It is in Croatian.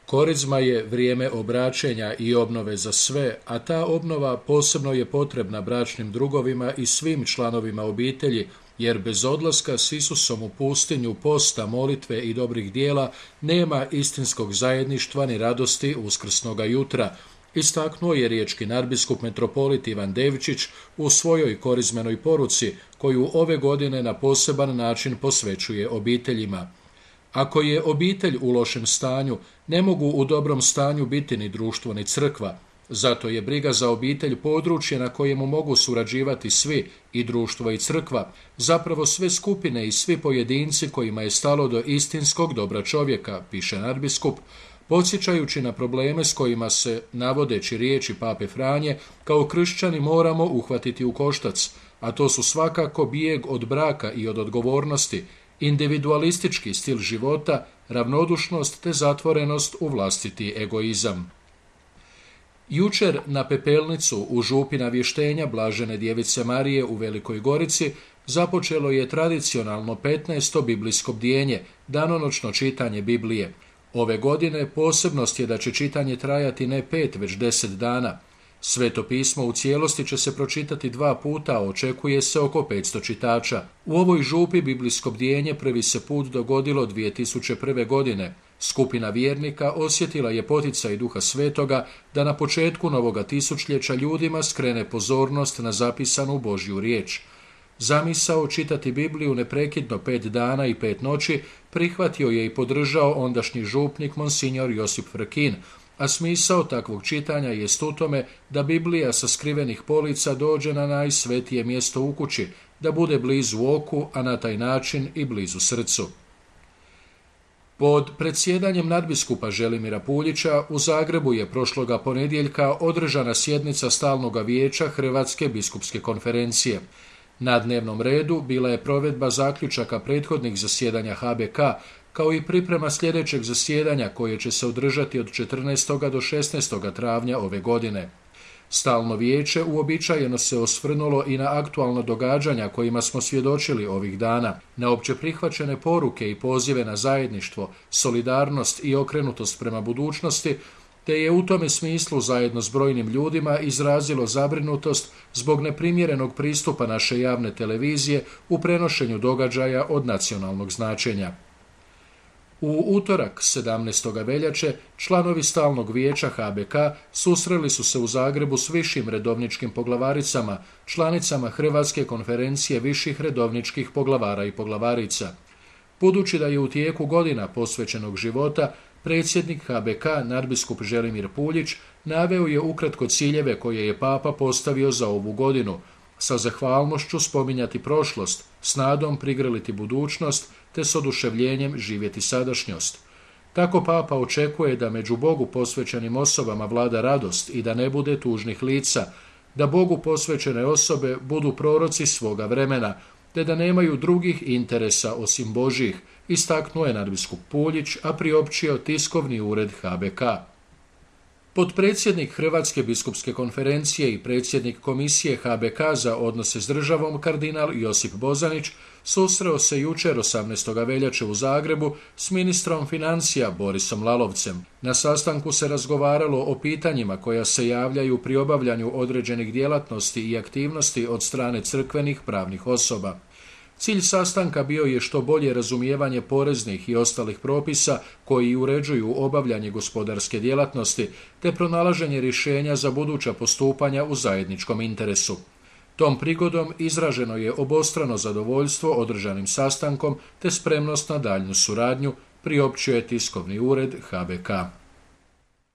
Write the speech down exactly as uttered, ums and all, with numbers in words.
Korizma je vrijeme obraćenja i obnove za sve, a ta obnova posebno je potrebna bračnim drugovima i svim članovima obitelji, jer bez odlaska s Isusom u pustinju, posta, molitve i dobrih dijela nema istinskog zajedništva ni radosti uskrsnoga jutra, istaknuo je riječki nadbiskup metropolit Ivan Devčić u svojoj korizmenoj poruci, koju ove godine na poseban način posvećuje obiteljima. Ako je obitelj u lošem stanju, ne mogu u dobrom stanju biti ni društvo ni crkva. Zato je briga za obitelj područje na kojemu mogu surađivati svi, i društvo i crkva, zapravo sve skupine i svi pojedinci kojima je stalo do istinskog dobra čovjeka, piše nadbiskup, podsjećajući na probleme s kojima se, navodeći riječi pape Franje, kao kršćani moramo uhvatiti u koštac, a to su svakako bijeg od braka i od odgovornosti, individualistički stil života, ravnodušnost te zatvorenost u vlastiti egoizam. Jučer na pepelnicu u župi Navještenja Blažene djevice Marije u Velikoj Gorici započelo je tradicionalno petnaesto biblijsko bdjenje, danonoćno čitanje Biblije. Ove godine posebnost je da će čitanje trajati ne pet, već deset dana. Sveto pismo u cijelosti će se pročitati dva puta, a očekuje se oko petsto čitača. U ovoj župi biblijsko bdjenje prvi se put dogodilo dvije tisuće prve. godine. Skupina vjernika osjetila je poticaj Duha Svetoga da na početku novoga tisućljeća ljudima skrene pozornost na zapisanu Božju riječ. Zamisao čitati Bibliju neprekidno pet dana i pet noći prihvatio je i podržao ondašnji župnik monsinjor Josip Frkin, a smisao takvog čitanja jest u tome da Biblija sa skrivenih polica dođe na najsvetije mjesto u kući, da bude blizu oku, a na taj način i blizu srcu. Pod predsjedanjem nadbiskupa Želimira Puljića u Zagrebu je prošloga ponedjeljka održana sjednica stalnoga vijeća Hrvatske biskupske konferencije. Na dnevnom redu bila je provedba zaključaka prethodnih zasjedanja H B K, kao i priprema sljedećeg zasjedanja koje će se održati od četrnaestog do šesnaestog travnja ove godine. Stalno vijeće uobičajeno se osvrnulo i na aktualna događanja kojima smo svjedočili ovih dana, na opće prihvaćene poruke i pozive na zajedništvo, solidarnost i okrenutost prema budućnosti, te je u tome smislu zajedno s brojnim ljudima izrazilo zabrinutost zbog neprimjerenog pristupa naše javne televizije u prenošenju događaja od nacionalnog značenja. U utorak, sedamnaestog veljače, članovi stalnog vijeća H B K susreli su se u Zagrebu s višim redovničkim poglavaricama, članicama Hrvatske konferencije viših redovničkih poglavara i poglavarica. Budući da je u tijeku godina posvećenog života, predsjednik H B K, nadbiskup Želimir Puljić, naveo je ukratko ciljeve koje je Papa postavio za ovu godinu, sa zahvalnošću spominjati prošlost, s nadom prigrliti budućnost, te s oduševljenjem živjeti sadašnjost. Tako Papa očekuje da među Bogu posvećenim osobama vlada radost i da ne bude tužnih lica, da Bogu posvećene osobe budu proroci svoga vremena, te da nemaju drugih interesa osim Božjih, istaknuo je nadbiskup Puljić, a priopćio tiskovni ured H B K. Potpredsjednik Hrvatske biskupske konferencije i predsjednik komisije H B K za odnose s državom, kardinal Josip Bozanić, susreo se jučer osamnaestog veljače u Zagrebu s ministrom financija Borisom Lalovcem. Na sastanku se razgovaralo o pitanjima koja se javljaju pri obavljanju određenih djelatnosti i aktivnosti od strane crkvenih pravnih osoba. Cilj sastanka bio je što bolje razumijevanje poreznih i ostalih propisa koji uređuju obavljanje gospodarske djelatnosti, te pronalaženje rješenja za buduća postupanja u zajedničkom interesu. Tom prigodom izraženo je obostrano zadovoljstvo održanim sastankom te spremnost na daljnju suradnju, priopćio je tiskovni ured H B K.